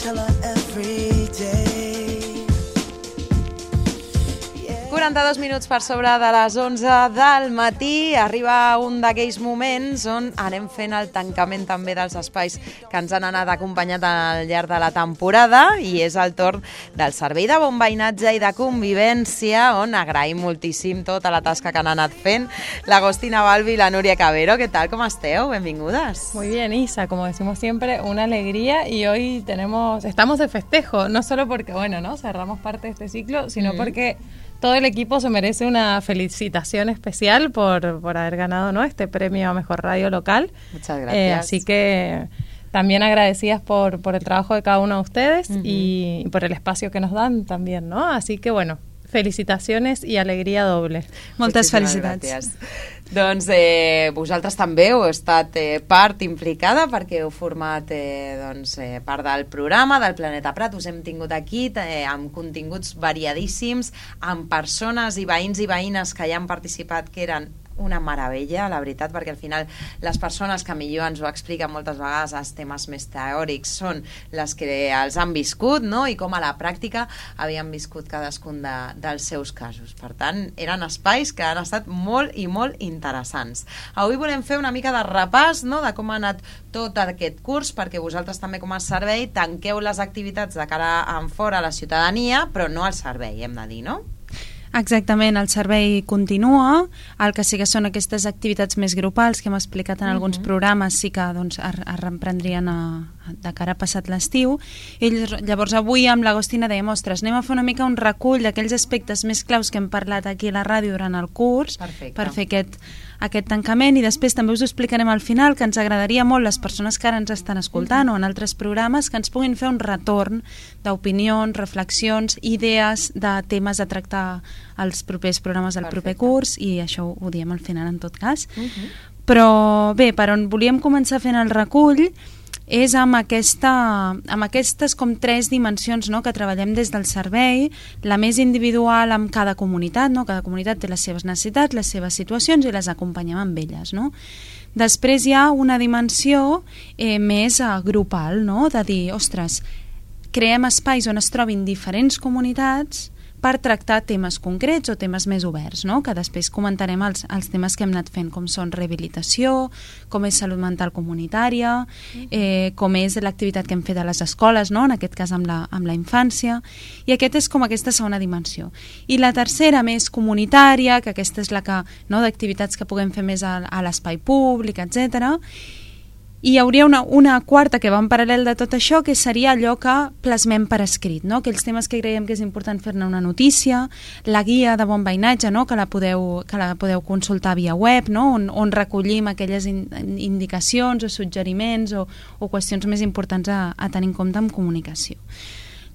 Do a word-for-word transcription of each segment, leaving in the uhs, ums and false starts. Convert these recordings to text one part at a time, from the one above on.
tell her every day. quaranta-dos minuts per sobre de les onze del matí. Arriba un d'aquells moments on anem fent el tancament també dels espais que ens han anat acompanyat al llarg de la temporada, i és el torn del Servei de Bon Veïnatge i de Convivència, on agraïm moltíssim tota la tasca que han anat fent l'Agostina Balbi i la Núria Cabero. ¿Qué tal? ¿Cómo esteu? Benvingudes. Muy bien, Isa, como decimos siempre, una alegría, y hoy tenemos, estamos de festejo, no solo porque, bueno, ¿no? cerramos parte de este ciclo, sino mm. porque todo el equipo se merece una felicitación especial por, por haber ganado, ¿no? este premio a Mejor Radio Local. Muchas gracias. Eh, así que también agradecidas por, por el trabajo de cada uno de ustedes uh-huh. y, y por el espacio que nos dan también, ¿no? Así que bueno, felicitaciones i alegria doble. Moltes felicitats. Gràcies. Doncs eh, vosaltres també heu estat eh, part implicada, perquè heu format eh, doncs, eh, part del programa del Planeta Prat. Us hem tingut aquí eh, amb continguts variadíssims, amb persones i veïns i veïnes que hi han participat, que eren una meravella, la veritat, perquè al final les persones que millor ens ho expliquen moltes vegades els temes més teòrics són les que els han viscut, no? I com a la pràctica havien viscut cadascun de, dels seus casos. Per tant, eren espais que han estat molt i molt interessants. Avui volem fer una mica de repàs, no?, de com ha anat tot aquest curs, perquè vosaltres també com a servei tanqueu les activitats de cara en fora a la ciutadania, però no al servei, hem de dir, no? Exactament, el servei continua, el que sí que són aquestes activitats més grupals que hem explicat en alguns uh-huh. programes, sí que doncs, es, es reprendrien a, de cara a passat l'estiu. I llavors avui amb l'Agostina dèiem, ostres, anem a fer una mica un recull d'aquells aspectes més claus que hem parlat aquí a la ràdio durant el curs. Perfecte. Per fer aquest, aquest tancament, i després també us ho explicarem al final, que ens agradaria molt les persones que ara ens estan escoltant uh-huh. o en altres programes, que ens puguin fer un retorn d'opinions, reflexions, idees de temes a tractar als propers programes del Perfecte. Proper curs, i això ho diem al final en tot cas. Uh-huh. Però bé, per on volíem començar fent el recull és amb, aquesta, amb aquestes com tres dimensions, no?, que treballem des del servei, la més individual amb cada comunitat, no? Cada comunitat té les seves necessitats, les seves situacions, i les acompanyem amb elles, no? Després hi ha una dimensió eh, més eh, grupal, no?, de dir, ostres, creem espais on es trobin diferents comunitats per tractar temes concrets o temes més oberts, no?, que després comentarem els, els temes que hem anat fent, com són rehabilitació, com és salut mental comunitària, eh, com és l'activitat que hem fet a les escoles, no?, en aquest cas amb la, amb la infància, i aquest és com aquesta segona dimensió. I la tercera, més comunitària, que aquesta és la que, no?, d'activitats que puguem fer més a, a l'espai públic, etcètera. I hi hauria una, una quarta que va en paral·lel de tot això, que seria allò que plasmem per escrit, no? Aquells temes que creiem que és important fer-ne una notícia, la guia de bon veïnatge, no?, que la podeu, que la podeu consultar via web, no?, on, on recollim aquelles in, indicacions o suggeriments o, o qüestions més importants a, a tenir en compte en comunicació.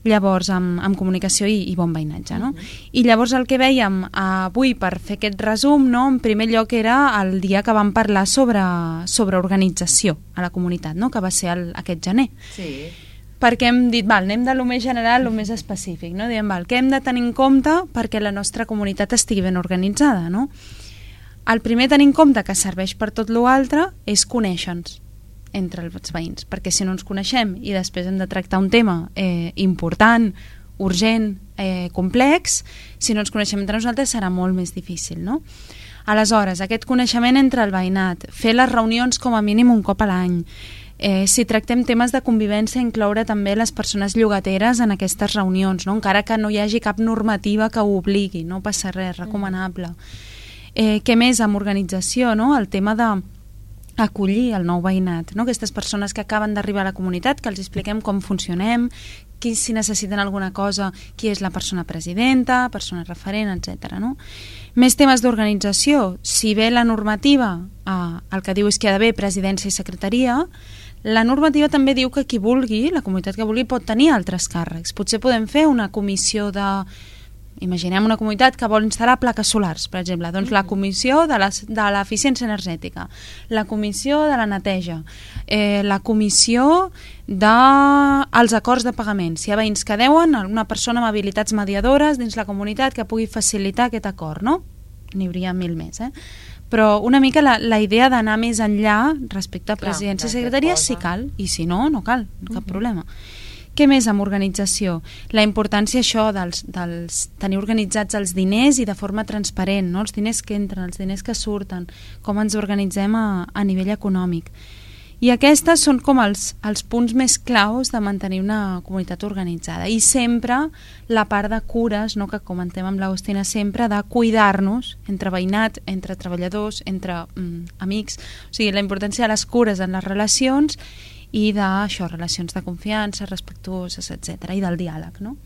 Llavors, amb, amb comunicació i, i bon veïnatge, no? Uh-huh. I llavors el que vèiem avui, per fer aquest resum, no?, en primer lloc era el dia que vam parlar sobre, sobre organització a la comunitat, no?, que va ser el, aquest gener. Sí. Perquè hem dit, val, anem de lo més general a lo més específic, no? Diem, val, què hem de tenir en compte perquè la nostra comunitat estigui ben organitzada, no? El primer tenir en compte, que serveix per tot l'altre, és conèixer-nos entre els veïns, perquè si no ens coneixem i després hem de tractar un tema eh, important, urgent, eh, complex, si no ens coneixem entre nosaltres serà molt més difícil, no? Aleshores, aquest coneixement entre el veïnat, fer les reunions com a mínim un cop a l'any, eh, si tractem temes de convivència, incloure també les persones llogateres en aquestes reunions, no? Encara que no hi hagi cap normativa que ho obligui, no passa res, recomanable. Eh, què més amb organització, no? El tema de acollir el nou veïnat, no? Aquestes persones que acaben d'arribar a la comunitat, que els expliquem com funcionem, qui, si necessiten alguna cosa, qui és la persona presidenta, persona referent, etcètera, no? Més temes d'organització. Si bé la normativa, eh, el que diu és que hi ha d'haver presidència i secretaria, la normativa també diu que qui vulgui, la comunitat que vulgui, pot tenir altres càrrecs. Potser podem fer una comissió de... Imaginem una comunitat que vol instal·lar plaques solars, per exemple, doncs la comissió de l'eficiència energètica, la comissió de la neteja, eh, la comissió dels acords de pagament. Si hi ha veïns que deuen, una persona amb habilitats mediadores dins la comunitat que pugui facilitar aquest acord, no? N'hi hauria mil més, eh? Però una mica la, la idea d'anar més enllà respecte a presidència i secretaria, si cal, i si no, no cal, cap uh-huh. problema. Què més amb organització? La importància això dels, dels tenir organitzats els diners i de forma transparent, no? Els diners que entren, els diners que surten, com ens organitzem a, a nivell econòmic. I aquestes són com els, els punts més claus de mantenir una comunitat organitzada. I sempre la part de cures, no, que comentem amb l'Agustina sempre, de cuidar-nos entre veïnat, entre treballadors, entre mm, amics. O sigui, la importància de les cures en les relacions i d'això, relacions de confiança, respectuoses, etcètera, i del diàleg, no?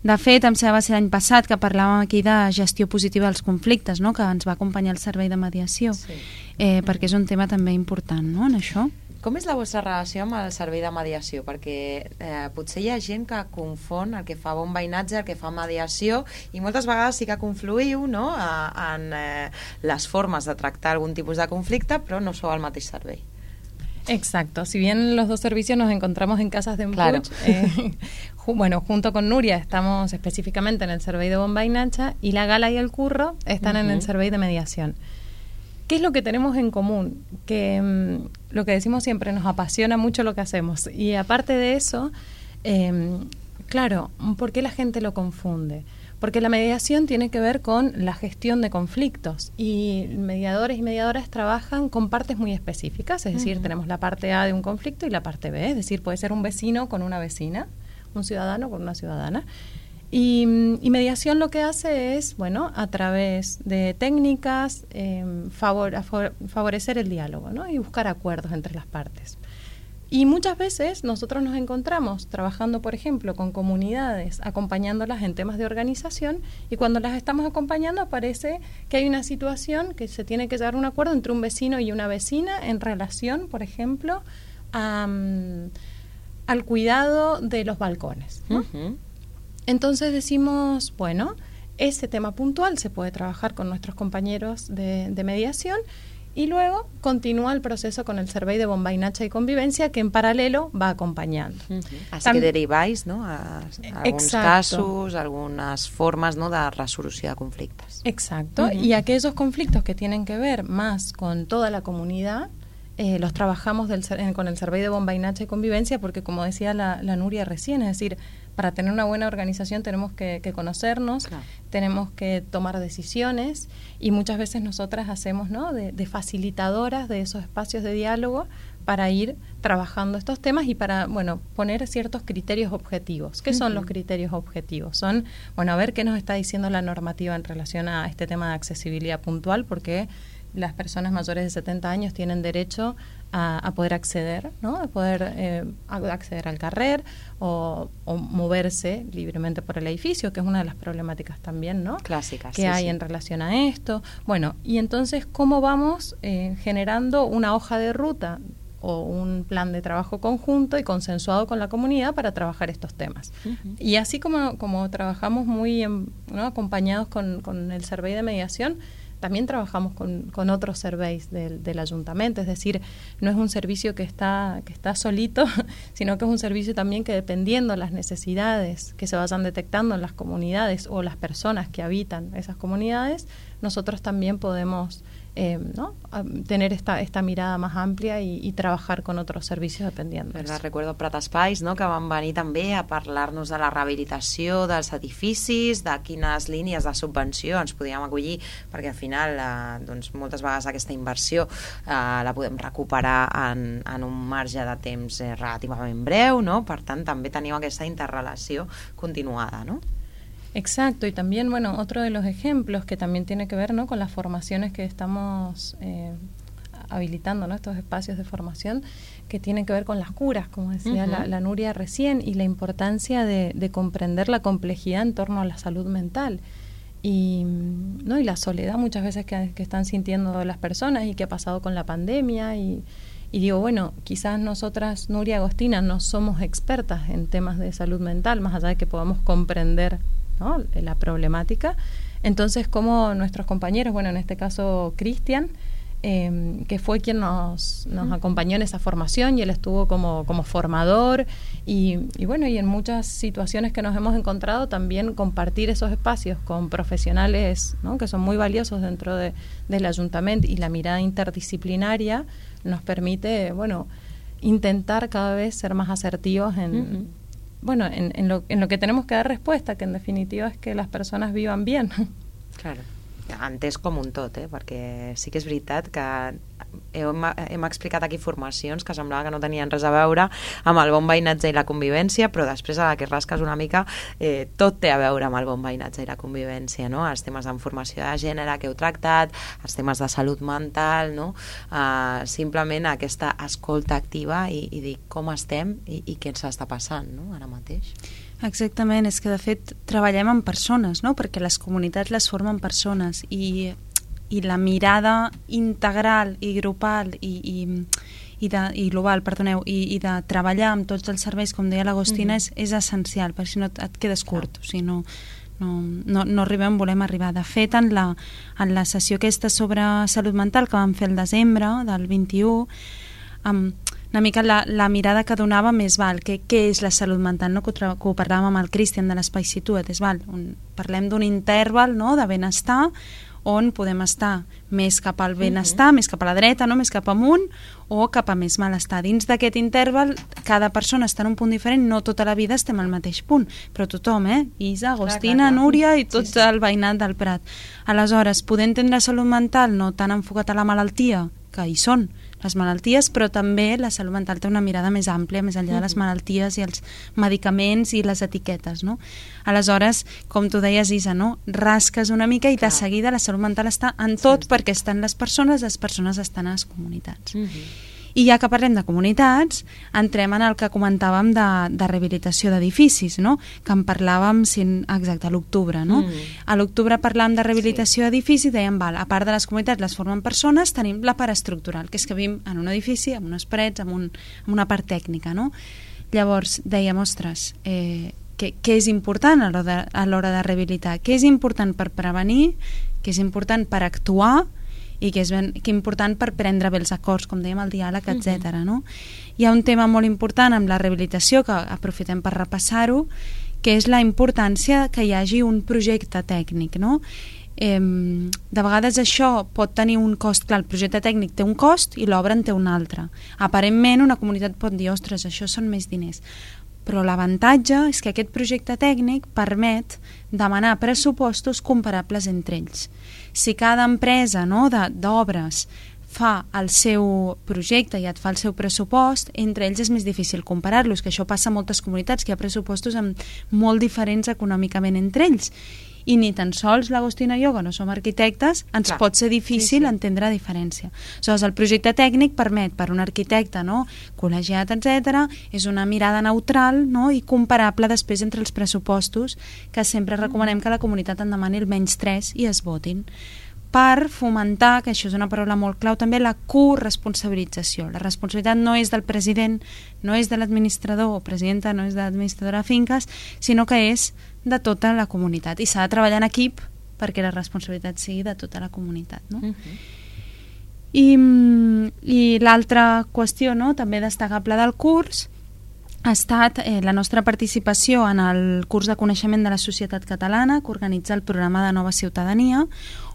De fet, em sembla va ser l'any passat que parlàvem aquí de gestió positiva dels conflictes, no? Que ens va acompanyar el servei de mediació, sí. eh, perquè és un tema també important, no?, en això. Com és la vostra relació amb el servei de mediació? Perquè eh, potser hi ha gent que confon el que fa bon veïnatge, el que fa mediació, i moltes vegades sí que confluïu, no?, a, en eh, les formes de tractar algun tipus de conflicte, però no sou el mateix servei. Exacto, si bien los dos servicios nos encontramos en Casas de Empuig, claro. eh, ju bueno, junto con Nuria estamos específicamente en el servei de bon veïnatge y la Gala y el Curro están uh-huh. en el servei de mediación. ¿Qué es lo que tenemos en común? Que mmm, lo que decimos siempre, nos apasiona mucho lo que hacemos. Y aparte de eso, eh, claro, ¿por qué la gente lo confunde? Porque la mediación tiene que ver con la gestión de conflictos y mediadores y mediadoras trabajan con partes muy específicas, es decir, uh-huh. tenemos la parte A de un conflicto y la parte B, es decir, puede ser un vecino con una vecina, un ciudadano con una ciudadana. Y, y mediación lo que hace es, bueno, a través de técnicas, eh, favor, favor, favorecer el diálogo, ¿no?, y buscar acuerdos entre las partes. Y muchas veces nosotros nos encontramos trabajando, por ejemplo, con comunidades, acompañándolas en temas de organización, y cuando las estamos acompañando aparece que hay una situación que se tiene que llegar a un acuerdo entre un vecino y una vecina en relación, por ejemplo, a, um, al cuidado de los balcones, ¿no? Uh-huh. Entonces decimos, bueno, ese tema puntual se puede trabajar con nuestros compañeros de, de mediación, y luego continúa el proceso con el servei de bon veïnatge y convivencia, que en paralelo va acompañando. Uh-huh. Así Tam- que deriváis, ¿no?, a, a algunos Exacto. casos, algunas formas, ¿no?, de resolució de conflictes. Exacto, uh-huh. y aquellos conflictos que tienen que ver más con toda la comunidad, eh, los trabajamos del, con el servei de bon veïnatge y convivencia, porque como decía la, la Nuria recién, es decir, para tener una buena organización tenemos que, que conocernos, claro. tenemos que tomar decisiones, y muchas veces nosotras hacemos, ¿no?, de, de facilitadoras de esos espacios de diálogo para ir trabajando estos temas y para, bueno, poner ciertos criterios objetivos. ¿Qué uh-huh. son los criterios objetivos? Son, bueno, a ver qué nos está diciendo la normativa en relación a este tema de accesibilidad puntual, porque las personas mayores de setenta años tienen derecho a, a poder acceder, ¿no?, a poder eh, a acceder al carrer o, o moverse libremente por el edificio, que es una de las problemáticas también, ¿no?, clásicas, que sí, hay sí. en relación a esto. Bueno, y entonces, ¿cómo vamos eh, generando una hoja de ruta o un plan de trabajo conjunto y consensuado con la comunidad para trabajar estos temas? Uh-huh. Y así como, como trabajamos muy en, ¿no?, acompañados con, con el servei de mediación, también trabajamos con, con otros serveis del, del ayuntamiento, es decir, no es un servicio que está, que está solito, sino que es un servicio también que, dependiendo de las necesidades que se vayan detectando en las comunidades o las personas que habitan esas comunidades, nosotros también podemos eh, ¿no?, tener esta, esta mirada más amplia y, y trabajar con otros servicios dependiendo. Pues recuerdo Prat Espais, no?, que van venir també a parlar-nos de la rehabilitació dels edificis, de quines línies de subvenció ens podíem acollir, perquè al final eh, doncs, moltes vegades aquesta inversió eh, la podem recuperar en, en un marge de temps eh, relativament breu, no? Per tant també teniu aquesta interrelació continuada, no? Exacto, y también, bueno, otro de los ejemplos que también tiene que ver, ¿no?, con las formaciones que estamos eh, habilitando, ¿no?, estos espacios de formación que tienen que ver con las curas, como decía uh-huh. la, la Nuria recién, y la importancia de, de comprender la complejidad en torno a la salud mental y, ¿no?, y la soledad muchas veces que, que están sintiendo las personas y que ha pasado con la pandemia. Y, y digo, bueno, quizás nosotras, Nuria y Agostina, no somos expertas en temas de salud mental, más allá de que podamos comprender, ¿no?, la problemática. Entonces, como nuestros compañeros, bueno, en este caso Cristian, eh, que fue quien nos, nos acompañó en esa formación, y él estuvo como, como formador, y, y bueno, y en muchas situaciones que nos hemos encontrado también compartir esos espacios con profesionales, ¿no?, que son muy valiosos dentro de, del ayuntamiento, y la mirada interdisciplinaria nos permite, bueno, intentar cada vez ser más asertivos en... Uh-huh. bueno, en, en, lo, en lo que tenemos que dar respuesta, que en definitiva es que las personas vivan bien. Claro. Entès com un tot, eh? Perquè sí que és veritat que hem, hem explicat aquí formacions que semblava que no tenien res a veure amb el bon veïnatge i la convivència, però després a la que rasques una mica eh, tot té a veure amb el bon veïnatge i la convivència, no? Els temes d'informació de gènere que heu tractat, els temes de salut mental, no? Uh, simplement aquesta escolta activa i, i dir com estem i, i què ens està passant, no? Ara mateix. Exactament, és que de fet treballem amb persones, no? Perquè les comunitats les formen persones i, i la mirada integral i grupal i, i, i, de, i global, perdoneu, i, i de treballar amb tots els serveis, com deia l'Agostina, mm-hmm. és, és essencial, perquè si no et, et quedes curt, o sigui, no, no, no, no arribem, volem arribar. De fet, en la, en la sessió aquesta sobre salut mental que vam fer el desembre del vint-i-u, amb una mica la, la mirada que donava més val, que, què és la salut mental, no? que, ho, que ho parlàvem amb el Cristian de l'Espai Situat, és val, un, parlem d'un interval, no? de benestar on podem estar més cap al benestar, uh-huh. més cap a la dreta, no? més cap amunt o cap a més malestar. Dins d'aquest interval cada persona està en un punt diferent, no tota la vida estem al mateix punt, però tothom, eh? Isa, Agostina, clar, clar, clar. Núria i tot sí, sí. el veïnat del Prat. Aleshores, poder entendre la salut mental no tan enfocat a la malaltia, que hi són les malalties, però també la salut mental té una mirada més àmplia, més enllà de les malalties i els medicaments i les etiquetes, no? Aleshores, com tu deies, Isa, no? Rasques una mica i de seguida la salut mental està en tot, sí, perquè estan les persones, les persones estan a les comunitats. Uh-huh. I ja que parlem de comunitats, entrem en el que comentàvem de, de rehabilitació d'edificis, no? Que en parlàvem sin, exacte, a l'octubre, no? Mm. A l'octubre parlàvem de rehabilitació sí. d'edificis i dèiem, val, a part de les comunitats les formen persones, tenim la part estructural, que és que vivim en un edifici, amb unes parets, amb, un, amb una part tècnica, no? Llavors dèiem, ostres, eh, què, què és important a l'hora de, a l'hora de rehabilitar? Què és important per prevenir? Què és important per actuar? I que és ben, que important per prendre bé els acords, com dèiem, el diàleg, etcètera. No? Hi ha un tema molt important amb la rehabilitació, que aprofitem per repassar-ho, que és la importància que hi hagi un projecte tècnic. No? Eh, de vegades això pot tenir un cost, clar, el projecte tècnic té un cost i l'obra en té un altre. Aparentment una comunitat pot dir, ostres, això són més diners. Però l'avantatge és que aquest projecte tècnic permet demanar pressupostos comparables entre ells. Si cada empresa, no, d'obres fa el seu projecte i et fa el seu pressupost, entre ells és més difícil comparar-los, que això passa a moltes comunitats, que hi ha pressupostos amb molt diferents econòmicament entre ells. I ni tan sols l'Agostina i jo, que no som arquitectes, ens Clar. pot ser difícil sí, sí. entendre la diferència. Aleshores, el projecte tècnic permet per un arquitecte, no, col·legiat, etcètera, és una mirada neutral, no, i comparable després entre els pressupostos, que sempre recomanem que la comunitat en demani el menys tres i es votin, per fomentar, que això és una paraula molt clau també, la corresponsabilització. La responsabilitat no és del president, no és de l'administrador o presidenta, no és de l'administradora de finques, sinó que és de tota la comunitat. I s'ha de treballar en equip perquè la responsabilitat sigui de tota la comunitat. No? Uh-huh. I, i l'altra qüestió, no, també destacable del curs, ha estat eh, la nostra participació en el curs de coneixement de la societat catalana que organitza el programa de Nova Ciutadania,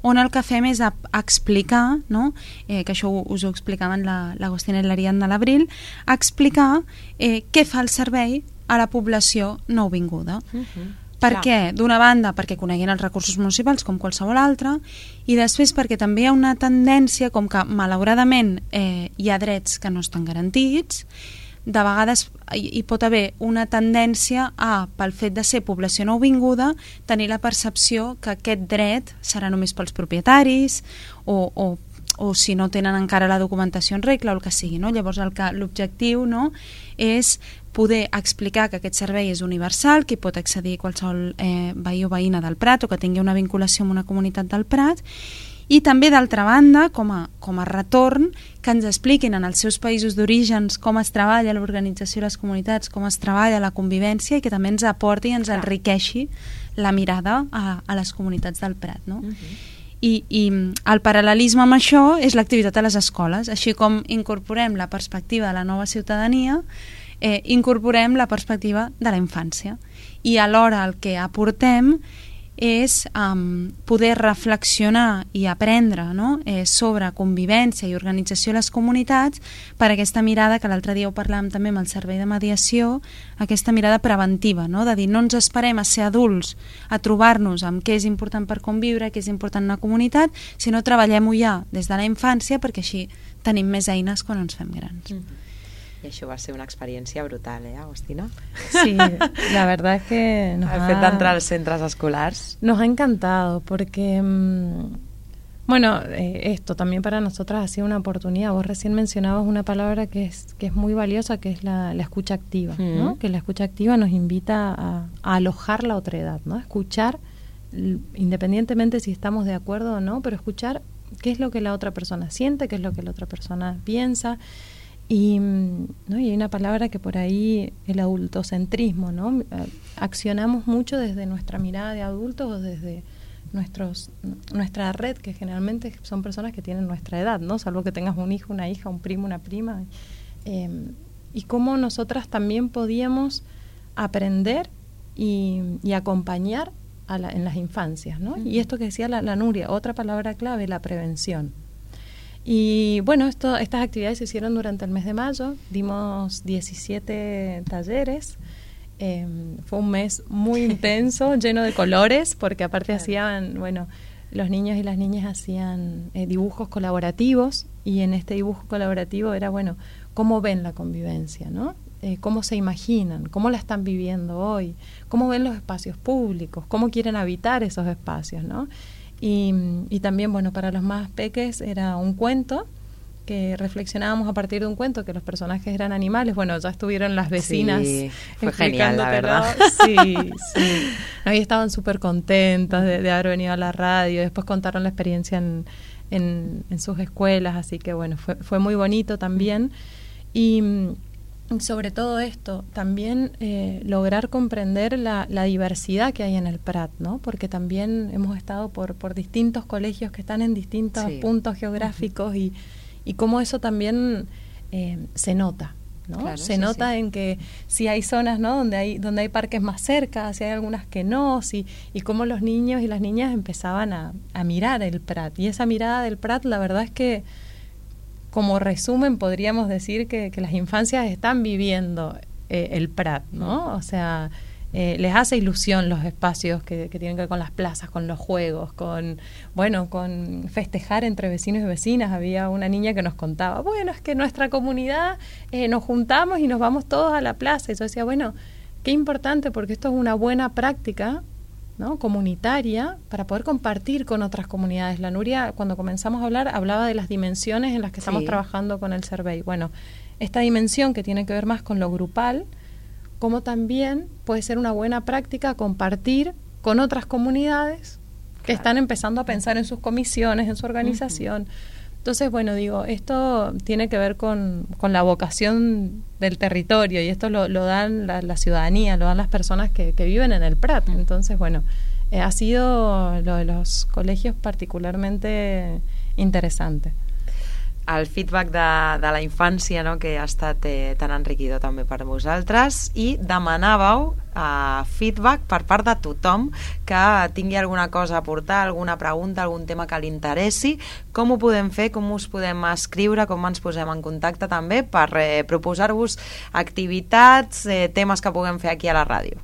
on el que fem és a, a explicar, no? eh, que això us ho explicaven l'Agostina la, i l'Ariadna de l'Abril, a explicar eh, què fa el servei a la població nouvinguda. Uh-huh. Per Clar. què? D'una banda, perquè coneguin els recursos municipals com qualsevol altre, i després perquè també hi ha una tendència com que, malauradament, eh, hi ha drets que no estan garantits. De vegades hi pot haver una tendència a, pel fet de ser població nouvinguda, tenir la percepció que aquest dret serà només pels propietaris o, o, o si no tenen encara la documentació en regla o el que sigui. No? Llavors l'objectiu, no, és poder explicar que aquest servei és universal, que hi pot accedir qualsevol eh, veí o veïna del Prat o que tingui una vinculació amb una comunitat del Prat. I també, d'altra banda, com a, com a retorn, que ens expliquin en els seus països d'orígens com es treballa l'organització de les comunitats, com es treballa la convivència i que també ens aporti i ens enriqueixi la mirada a, a les comunitats del Prat. No? Uh-huh. I, I el paral·lelisme amb això és l'activitat a les escoles. Així com incorporem la perspectiva de la nova ciutadania, eh, incorporem la perspectiva de la infància. I alhora el que aportem és um, poder reflexionar i aprendre, no? eh, sobre convivència i organització a les comunitats, per aquesta mirada que l'altre dia ho parlàvem també amb el servei de mediació, aquesta mirada preventiva, no? De dir no ens esperem a ser adults a trobar-nos amb què és important per conviure, què és important en una comunitat, sinó treballem-ho ja des de la infància, perquè així tenim més eines quan ens fem grans. Mm-hmm. Y això va ser una experiencia brutal, ¿eh, Agustina? Sí, la verdad es que nos el ha... fet d'entrar als centres escolars. Nos ha encantado porque, mmm, bueno, eh, esto también para nosotras ha sido una oportunidad. Vos recién mencionabas una palabra que es, que es muy valiosa, que es la, la escucha activa, mm. ¿no? Que la escucha activa nos invita a, a alojar la otredad, ¿no? Escuchar, independientemente si estamos de acuerdo o no, pero escuchar qué es lo que la otra persona siente, qué es lo que la otra persona piensa. Y, ¿no? y hay una palabra que por ahí, el adultocentrismo, ¿no? Accionamos mucho desde nuestra mirada de adultos o desde nuestros, nuestra red, que generalmente son personas que tienen nuestra edad, ¿no? Salvo que tengas un hijo, una hija, un primo, una prima. Eh, y cómo nosotras también podíamos aprender y, y acompañar a la, en las infancias, ¿no? Uh-huh. Y esto que decía la, la Nuria, otra palabra clave, la prevención. Y bueno, esto, estas actividades se hicieron durante el mes de mayo, dimos diecisiete talleres, eh, fue un mes muy intenso, lleno de colores, porque aparte hacían, bueno, los niños y las niñas hacían eh, dibujos colaborativos, y en este dibujo colaborativo era, bueno, cómo ven la convivencia, ¿no? Eh, cómo se imaginan, cómo la están viviendo hoy, cómo ven los espacios públicos, cómo quieren habitar esos espacios, ¿no? Y, y también, bueno, para los más peques era un cuento, que reflexionábamos a partir de un cuento, que los personajes eran animales. Bueno, ya estuvieron las vecinas. Sí, fue genial, la verdad. Sí, sí. Ahí estaban súper contentas de, de haber venido a la radio. Después contaron la experiencia en, en, en sus escuelas, así que bueno, fue, fue muy bonito también. Y sobre todo esto, también eh, lograr comprender la, la diversidad que hay en el Prat, ¿no? Porque también hemos estado por, por distintos colegios que están en distintos sí. puntos geográficos uh-huh. y, y cómo eso también eh, se nota, ¿no? Claro, se sí, nota sí. en que si hay zonas, ¿no? donde hay donde hay parques más cerca, si hay algunas que no, si, y cómo los niños y las niñas empezaban a, a mirar el Prat. Y esa mirada del Prat, la verdad es que como resumen podríamos decir que, que las infancias están viviendo eh, el Prat, ¿no? O sea, eh, les hace ilusión los espacios que, que tienen que ver con las plazas, con los juegos, con, bueno, con festejar entre vecinos y vecinas. Había una niña que nos contaba, bueno, es que en nuestra comunidad eh, nos juntamos y nos vamos todos a la plaza. Y yo decía, bueno, qué importante, porque esto es una buena práctica, ¿no? Comunitaria, para poder compartir con otras comunidades. La Nuria, cuando comenzamos a hablar, hablaba de las dimensiones en las que sí. estamos trabajando con el survey. Bueno, esta dimensión que tiene que ver más con lo grupal, como también puede ser una buena práctica compartir con otras comunidades que claro. están empezando a pensar en sus comisiones, en su organización. Uh-huh. Entonces, bueno, digo, esto tiene que ver con, con la vocación del territorio, y esto lo, lo dan la, la ciudadanía, lo dan las personas que, que viven en el Prat. Entonces, bueno, eh, ha sido lo de los colegios particularmente interesante. El feedback de, de la infància, no?, que ha estat eh, tan enriquidor també per vosaltres, i demanàveu eh, feedback per part de tothom que tingui alguna cosa a aportar, alguna pregunta, algun tema que li interessi. Com ho podem fer? Com us podem escriure? Com ens posem en contacte també per eh, proposar-vos activitats, eh, temes que puguem fer aquí a la ràdio?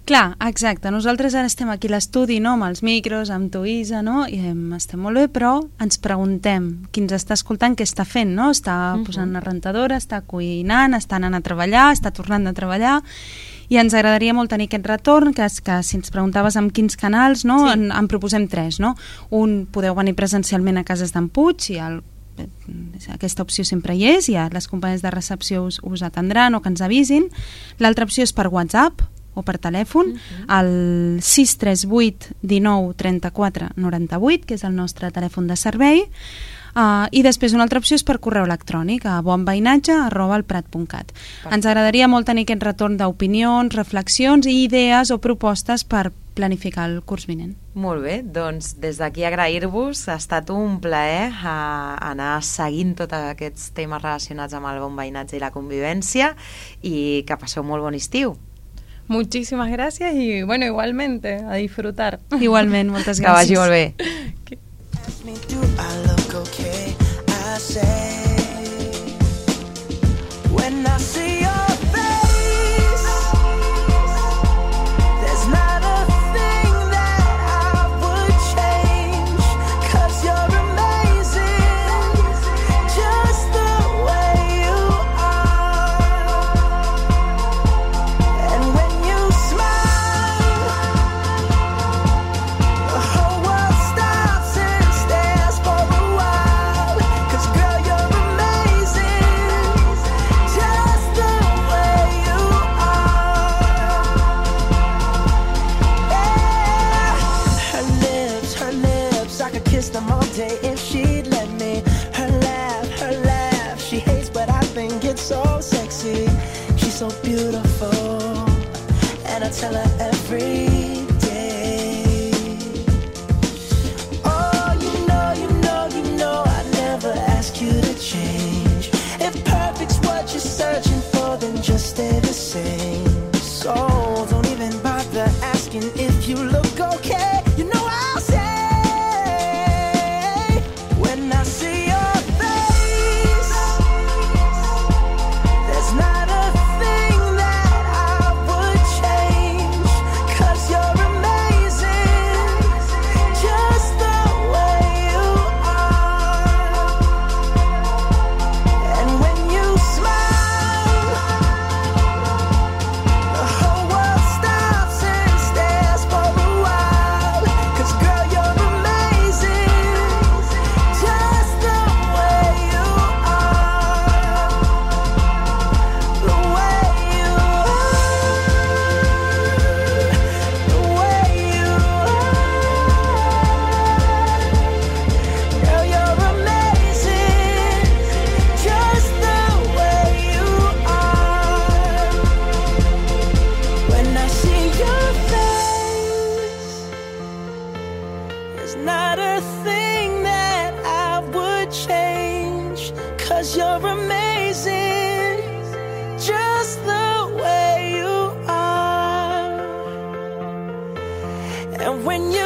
Clar, exacte. Nosaltres ara estem aquí a l'estudi, no?, amb els micros, amb tu, Isa, no?, i em, estem molt bé, però ens preguntem qui ens està escoltant què està fent, no? Està uh-huh. posant una rentadora, està cuinant, està anant a treballar, està tornant a treballar, i ens agradaria molt tenir aquest retorn, que, que si ens preguntaves amb quins canals, no?, sí. en, en proposem tres, no? Un, podeu venir presencialment a Cases d'en Puig, i el aquesta opció sempre hi és, i les companyies de recepció us, us atendran o que ens avisin. L'altra opció és per WhatsApp o per telèfon, uh-huh. al sis tres vuit dinou trenta-quatre noranta-vuit, que és el nostre telèfon de servei, uh, i després una altra opció és per correu electrònic a bonveïnatge arroba elprat punt cat. Ens agradaria molt tenir aquest retorn d'opinions, reflexions i idees o propostes per planificar el curs vinent. Molt bé, doncs des d'aquí agrair-vos, ha estat un plaer a anar seguint tots aquests temes relacionats amb el bon veïnatge i la convivència, i que passeu molt bon estiu. Muchísimas gracias y bueno, igualmente, a disfrutar. Igualment, moltes Que vagi gràcies. molt bé. Ask me, do I look okay? I say, when I see your face, there's not a thing that I would change, 'cause you're amazing, just the way you are. And when you smile, the whole world stops and stares for a while, 'cause girl, you're amazing, just the way you are. Yeah. Her lips, her lips, I could kiss them all day if she'd let me. Her laugh, her laugh, she hates but I think it's so sexy. She's so beautiful, and I tell her every day. Oh, you know, you know, you know I never ask you to change. If perfect's what you're searching for, then just stay the same. So don't even bother asking if you look okay. You know I'll say, when I see your face, there's not a thing that I would change, 'cause you're amazing, just the way you are. And when you smile, the whole world stops and stares for a while, 'cause girl, you're amazing, just the way you are. The way you are, the way you are. Girl, you're amazing, just the way you are. When I see your face, there's not a thing that I would change, 'cause you're amazing, just the way you are. And when you